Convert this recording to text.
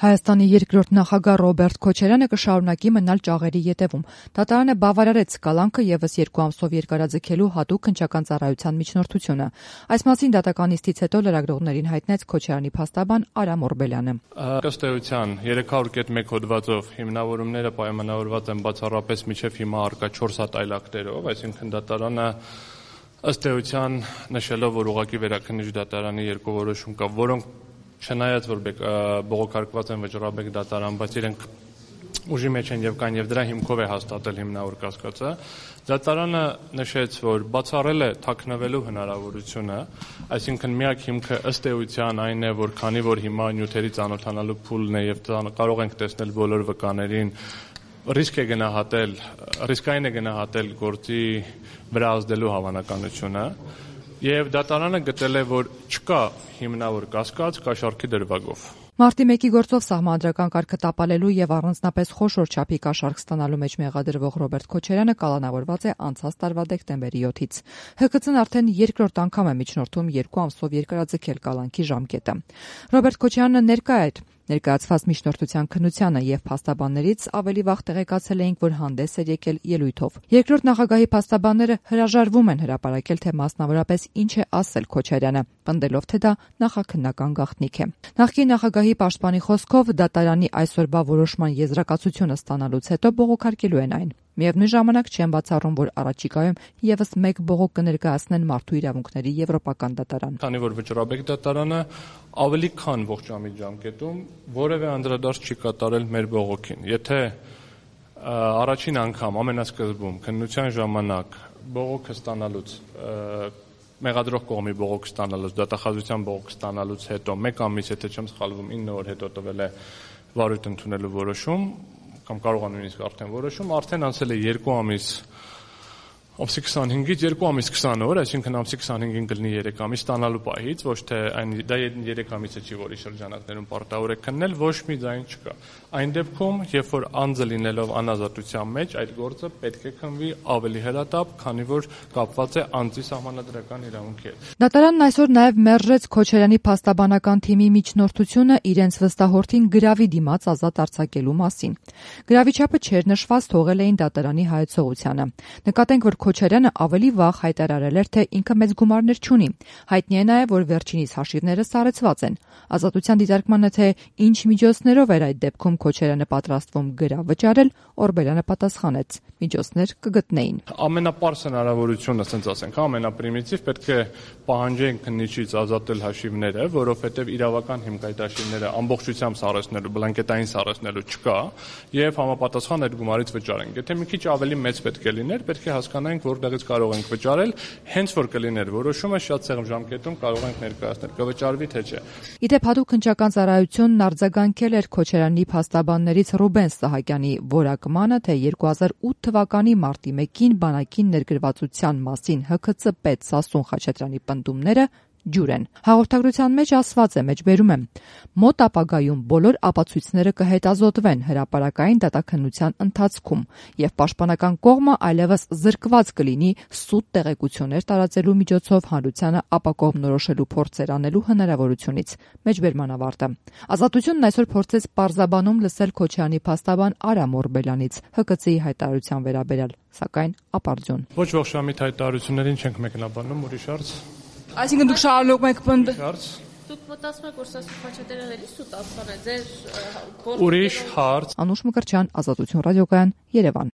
Հայաստանի երկրորդ նախագահ Ռոբերտ Քոչարյանը կշարունակի մնալ ճաղերի ետևում։ Դատարանը բավարարեց կալանքը ևս 2 ամսով երկարաձգելու հատուկ քննչական ծառայության միջնորդությունը։ Այս մասին դատական նիստից հետո լրագրողներին հայտնեց Քոչարյանի փաստաբան Արամ Օրբելյանը։ Ըստ էության 300.1 հոդվածով հիմնավորումները պայմանավորված են բացառապես մինչև հիմա առկա 4 հատ այլ ակտերով, այսինքն դատարանը ըստ էության նշելով, որ ուղղակի վերաքննիչ դատարանի երկու որոշում կա, որոնք չնայած որ բողոքարկված են վճռաբեկ դատարան, բայց իրենք ուժի մեջ են եւ կան եւ դրա հիմքով է հաստատել հիմնավոր կասկածը, դատարանը նշեց, որ բացառել է թաքնվելու հնարավորությունը, այսինքն միակ հիմքը ըստ էության այն է, որ քանի որ հիմա նյութերի ծանոթանալու փուլն է եւ կարող ենք տեսնել բոլոր վկաներին, ռիսկային է գնահատել գործի վրա ազդելու հավանականությունը եւ դատարանը գտել է, որ չկա հիմնավոր կասկած կաշառքի դրվագով։ Մարտի 1-ի գործով սահմանադրական կարգը տապալելու եւ առանձնապես խոշոր չափի կաշառք ստանալու մեջ մեղադրվող Ռոբերտ Քոչարյանը կալանավորված է անցած տարվա դեկտեմբերի 7-ից։ ՀԿՑ-ն արդեն երկրորդ անգամ է միջնորդում 2 ամսով երկարաձգել կալանքի ժամկետը։ Ռոբերտ Քոչարյանը ներկա էր ներկայացված միջնորդության քննությանը եւ փաստաբաններից ավելի վաղ տեղեկացել էինք, որ հանդես էր եկել ելույթով։ Երկրորդ նախագահի փաստաբանները հրաժարվում են հրապարակել, թե մասնավորապես ինչ է ասել Քոչարյանը, պնդելով, թե դա նախաքննական գաղտնիք է։ Նախկին նախագահի պաշտպանի խոսքով դատարանի այսօրվա որոշման եզրակացությունը ստանալուց հետո բողոքարկելու են այն։ Միևնույն ժամանակ չեն բացառում, որ առաջիկայում եւս մեկ բողոք կներկայացնեն մարդու իրավունքների եվրոպական դատարան։ Քանի որ վճռաբեկ դատարանը ավելի քան ողջամիտ ժամկետում որևէ անդրադարձ չի կատարել մեր բողոքին։ Եթե առաջին անգամ ամենասկզբում քննության ժամանակ բողոքը ստանալուց մեղադրող կողմի բողոք ստանալուց, դատախազության բողոք ստանալուց հետո 1 ամիս, եթե չեմ սխալվում, 9 օր հետո տվել է վարույթ ընդունելու որոշում, կամ կարող է նույնիսկ արդեն որոշում, արդեն անցել է 2 ամիս, ամսի 25-ից 2 ամիս 20 օր, այսինքն ամսի 25-ին կլինի 3 ամիս ստանալու պահից, ոչ թե դա 3 ամիսը չի, որի շրջանակներում պարտավոր է քննել, ոչ մի ձայն չկա։ Այն դեպքում, երբ որ անձը լինելով անազատության մեջ, այդ գործը պետք է քննվի ավելի հրատապ, քանի որ կապված է անձի սահմանադրական իրավունքի հետ։ Դատարանն այսօր նաև մերժեց Քոչարյանի փաստաբանական թիմի միջնորդությունը իրենց վստահորդին գրավի դիմաց ազատ արձակելու մասին։ Գրավի չափը չէր նշված, թողել էին դատարանի հայեցողությանը։ Նկատենք, որ Քոչարյանը ավելի վաղ հայտարարել էր, թե ինքը մեծ գումարներ չունի։ Հայտնի է նաև, որ վերջինիս հաշիվները սառեցված են։ Ազատության դիտարկմանը, թե ինչ միջոցներով էր այդ դեպքում Քոչարյանը պատրաստվում գրավ վճարել, Օրբելյանը պատասխանեց. միջոցներ կգտնեին։ Ամենապարզ հնարավորությունը, ասենք ասենք, ամենապրիմիտիվ պետք է պահանջեն քննիչից ազատել հաշիվները, որովհետև իրավական հիմք այդ հաշիվները ամբողջությամբ սառեցնելու, բլանկետային սառեցնելու չկա, եւ համապատասխան այդ գումարից վճարենք։ Եթե մի քիչ ավելի մեծ պետք է լիներ, պետք է հասկանանք, որտեղից կարող ենք վճարել, հենց որ կլիներ որոշումը շատ սեղմ ժամկետում կարող ենք ներկայացնել, կվճարվի թե չէ։ Իդեպ հատուկ քննչական ծառայությունն արձագանքել էր Քոչարյանի փաստաբաններից Ռուբեն Սահակյանի որակմանը, թե 2008 թվականի մարտի 1-ին բանակին ներգրավվածության մասին ՀՔՑ պետ Սասուն Խաչատրյանի պնդումները ջուր են։ Հաղորդագրության մեջ ասված է, մեջբերում եմ. մոտ ապագայում բոլոր ապացույցները կհետազոտվեն հրապարակային դատաքննության ընթացքում եւ պաշտպանական կողմը այլևս զրկված կլինի սուտ տեղեկություններ տարածելու միջոցով հանրությանը ապակողմնորոշելու փորձեր անելու հնարավորությունից։ Մեջբերման ավարտը։ Ազատությունն այսօր փորձեց պարզաբանում լսել Քոչարյանի փաստաբան Արամ Օրբելյանից ՀԿՑ-ի հայտարարության վերաբերյալ, սակայն ապարդյուն։ Ոչ ողջամիտ հայտարարություններին չենք մեկնաբանում, ուրիշ հարց։ Այսինքն դուք շարունակում եք պնդել։ Դուք մտածում եք, որ Սասուն Խաչատրյանն էլի սուտ ասել է ձեր ուրիշ հարց։ Անուշ Մկրտչյան, Ազատություն ռադիոկայան, Երևան։